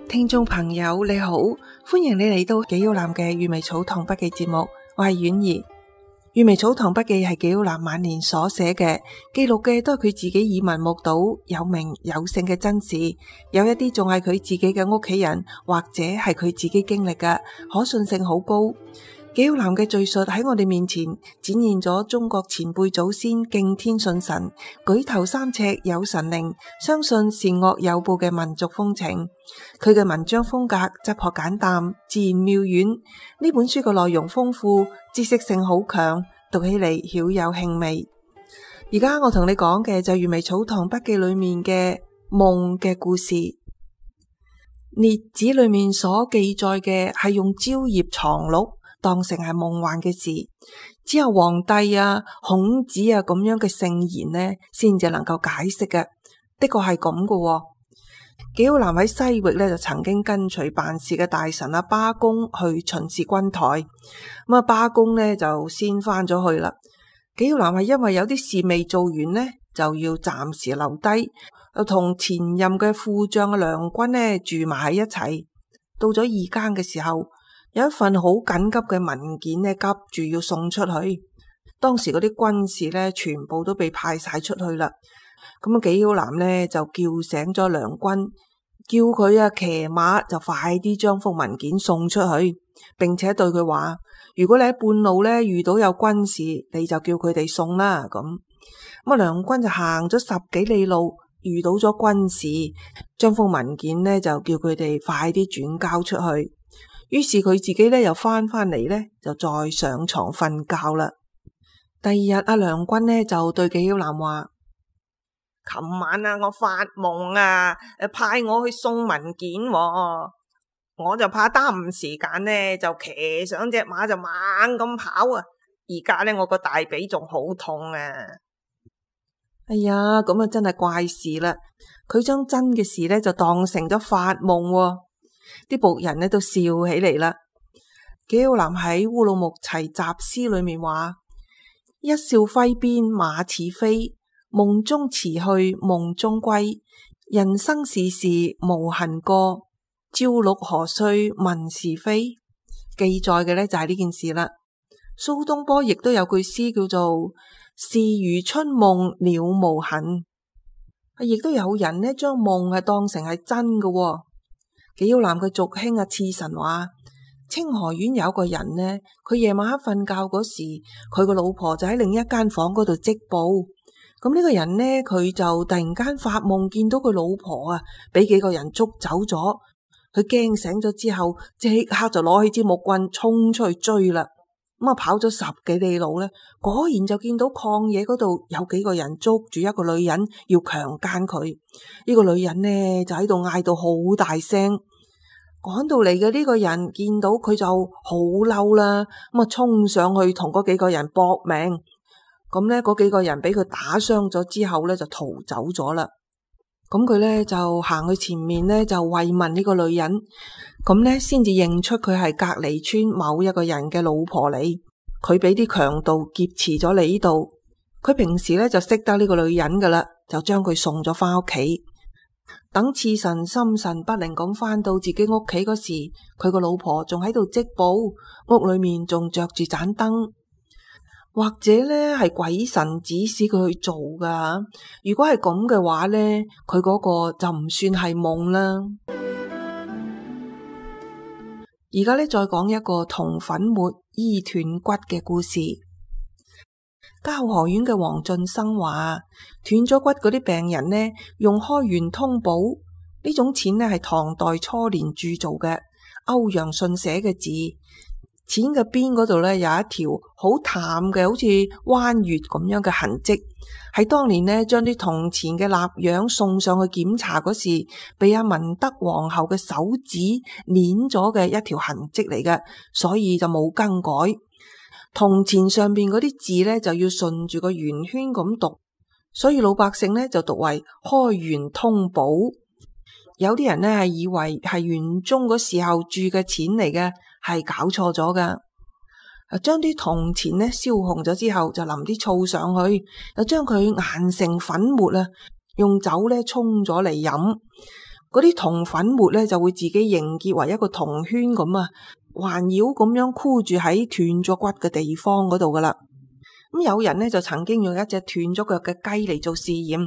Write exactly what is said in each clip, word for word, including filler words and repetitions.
聽眾朋友你好，歡迎你嚟到紀曉嵐嘅閱微草堂筆記節目，我係婉兒。閱微草堂筆記係紀曉嵐晚年所寫嘅，記錄嘅都係佢自己耳聞目睹有名有姓嘅真事，有一啲仲係佢自己嘅屋企人或者係佢自己經歷嘅，可信性好高。紀曉嵐嘅敘述喺我哋面前展現咗中國前輩祖先敬天信神、舉頭三尺有神靈、相信善惡有報嘅民族風情。佢嘅文章風格質樸簡淡、自然妙遠。呢本書嘅內容豐富，知識性好強，讀起嚟曉有興味。而家我同你講嘅就係閱微草堂筆記裏面嘅夢嘅故事。列子裏面所記載嘅係用蕉葉藏錄當成係夢幻嘅事，只有皇帝啊、孔子啊咁樣嘅聖賢呢，先至能夠解釋嘅。的確係咁嘅。紀曉嵐喺西域呢，就曾經跟隨辦事嘅大臣阿巴公去巡視軍台，咁啊巴公呢就先翻咗去啦。紀曉嵐係因為有啲事未做完呢，就要暫時留低，又同前任嘅副將嘅梁君呢住埋喺一齊。到咗二更嘅時候，有一份好緊急嘅文件呢，急住要送出去。當時嗰啲軍士呢，全部都被派晒出去啦。咁啊紀曉嵐呢就叫醒咗梁君，叫佢啊騎馬就快啲將幅文件送出去，並且對佢話：如果你喺半路呢遇到有軍士，你就叫佢哋送啦。咁咁啊梁君就行咗十幾里路，遇到咗軍士，將幅文件呢就叫佢哋快啲轉交出去。於是佢自己咧又翻返嚟咧，就再上床瞓覺啦。第二日阿梁君呢就對紀曉嵐話：琴晚啊，我發夢啊，誒派我去送文件喎，我就怕耽誤時間呢，就騎上隻馬就猛咁跑啊！而家呢，我個大髀仲好痛啊！哎呀，咁啊真係怪事啦！佢將真嘅事呢就當成咗發夢喎。啲僕人呢都笑起嚟啦。紀曉嵐喺《烏魯木齊集詩》裏面話：一笑揮鞭馬似飛，夢中辭去夢中歸。人生事事無痕過，朝六何須問是非。記載嘅呢就係呢件事啦。蘇東坡亦都有句詩叫做事如春夢了無痕。亦都有人呢將夢係當成係真嘅喎。紀曉嵐嘅族兄啊，刺臣話：清河縣有個人呢，佢夜晚黑瞓覺嗰時，佢個老婆就喺另一間房嗰度織布。咁呢個人呢，佢就突然間發夢見到佢老婆啊，俾幾個人捉走咗。佢驚醒咗之後，即刻就攞起支木棍衝出去追啦。咁啊，跑咗十幾里路呢，果然就見到曠野嗰度有幾個人捉住一個女人要強姦佢。呢個女人呢就喺度嗌到好大聲。趕到嚟嘅呢個人見到佢就好嬲啦，咁啊衝上去同嗰幾個人搏命。咁呢，嗰幾個人俾佢打傷咗之後呢，就逃走咗啦。咁佢呢就行去前面呢，就慰問呢個女人。咁呢先至認出佢係隔離村某一個人嘅老婆嚟。佢俾啲強盜劫持咗嚟呢度。佢平時呢就識得呢個女人噶啦，就將佢送咗翻屋企。等刺臣心神不寧咁翻到自己屋企嗰時，佢個老婆仲喺度織布，屋裏面仲着住盞燈。或者呢係鬼神指使佢去做噶。如果係咁嘅話呢，佢嗰個就唔算係夢啦。而家呢，再講一個銅粉末醫斷骨嘅故事。交河縣嘅黃進生話，斷咗骨嗰啲病人呢，用開元通寶呢種錢呢係唐代初年鑄造嘅歐陽順寫嘅字。錢嘅邊嗰度呢，有一條好淡嘅好似彎月咁樣嘅痕跡，喺當年呢將啲銅錢嘅蠟樣送上去檢查嗰時，被阿文德皇后嘅手指捻咗嘅一條痕跡嚟嘅，所以就冇更改。銅錢上邊嗰啲字呢，就要順住個圓圈咁讀，所以老百姓呢就讀為開元通寶。有啲人呢係以為係元宗嗰時候鑄嘅錢嚟嘅，係搞錯咗噶。將啲銅錢呢燒紅咗之後，就淋啲醋上去，又將佢研成粉末啊，用酒呢沖咗嚟飲。嗰啲銅粉末咧就會自己凝結為一個銅圈咁啊，環繞咁樣箍住喺斷咗骨嘅地方嗰度噶啦。咁有人呢就曾經用一隻斷咗腳嘅雞嚟做試驗，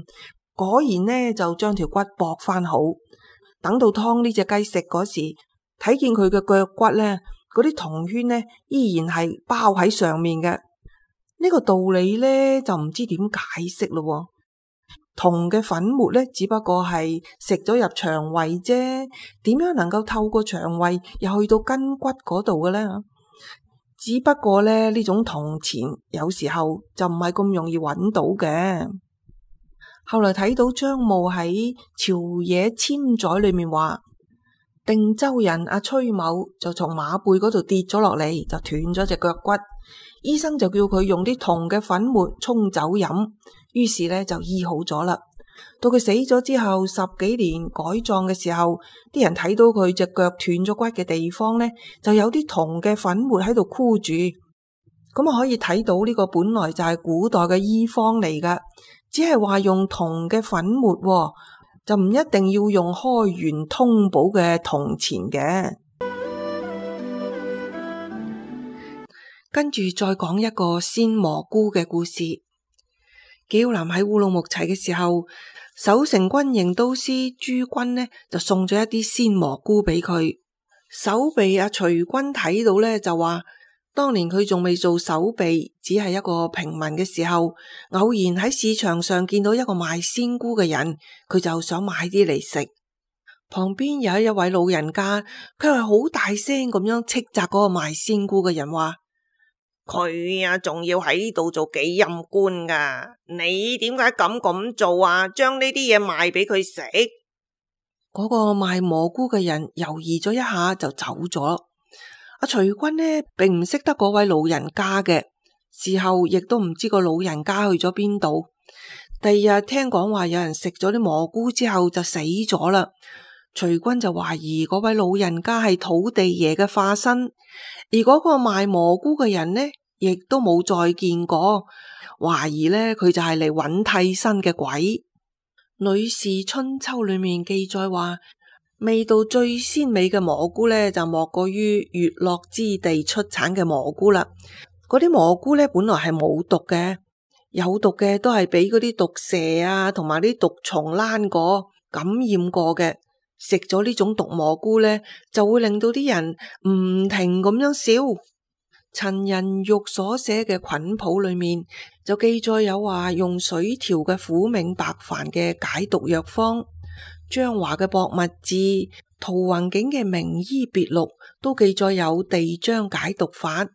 果然呢就將條骨駁翻好。等到湯呢隻雞食嗰時，睇見佢嘅腳骨呢，嗰啲銅圈呢依然係包喺上面嘅。呢個道理呢就唔知點解釋咯。銅嘅粉末呢只不過係食咗入腸胃啫，點樣能夠透過腸胃又去到筋骨嗰度嘅呢？只不過咧呢種銅錢有時候就唔係咁容易揾到嘅。後來睇到張墓喺朝野簽載裏面話，定州人阿崔某就從馬背嗰度跌咗落嚟，就斷咗隻腳骨。醫生就叫佢用啲銅嘅粉末沖酒飲，於是咧就醫好咗啦。到佢死咗之後十幾年改葬嘅時候，啲人睇到佢隻腳斷咗骨嘅地方呢，就有啲銅嘅粉末喺度箍住，咁啊可以睇到呢個本來就係古代嘅醫方嚟噶，只係話用銅嘅粉末，就唔一定要用開元通寶嘅銅錢嘅。跟住再講一個鮮蘑菇嘅故事。紀曉嵐喺烏魯木齊嘅時候，守城軍營都師朱軍呢就送咗一啲鮮蘑菇俾佢。守備阿徐軍睇到呢就話，當年佢仲未做守備，只係一個平民嘅時候，偶然喺市場上見到一個賣鮮菇嘅人，佢就想買啲嚟食。旁邊有一位老人家，佢係好大聲咁樣斥責嗰個賣鮮菇嘅人話，佢啊仲要喺度做幾任官噶，你點解咁咁做啊？將呢啲嘢賣俾佢食。嗰個賣蘑菇嘅人猶豫咗一下就走咗。阿徐軍呢並唔識得嗰位老人家嘅，事後亦都唔知個老人家去咗邊度。第二日聽講話有人食咗啲蘑菇之後就死咗啦。徐軍就懷疑嗰位老人家係土地爺嘅化身，而嗰個賣蘑菇嘅人呢亦都冇再見過，懷疑呢佢就係嚟揾替身嘅鬼。《呂氏春秋》裏面記載話，味道最鮮美嘅蘑菇呢就莫過於越洛之地出產嘅蘑菇啦。嗰啲蘑菇呢本來係冇毒嘅，有毒嘅都係俾嗰啲毒蛇啊同埋啲毒蟲躝過感染過嘅。食咗呢種毒蘑菇呢，就會令到啲人唔停咁樣笑。陳仁玉所寫嘅菌譜裏面就記載有話用水調嘅苦茗白矾嘅解毒藥方，張華嘅博物志、陶弘景嘅名醫別錄都記載有地漿解毒法。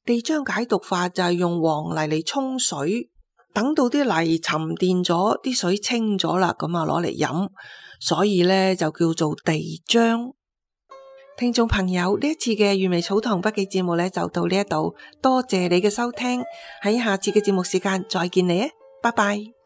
地漿解毒法就係用黃泥嚟沖水，等到啲泥沉澱咗，啲水清咗啦，咁啊攞嚟飲，所以呢就叫做地漿。聽眾朋友，呢一次嘅粵微草堂筆記節目呢就到呢一度，多謝你嘅收聽，喺下次嘅節目時間再見你啊，拜拜。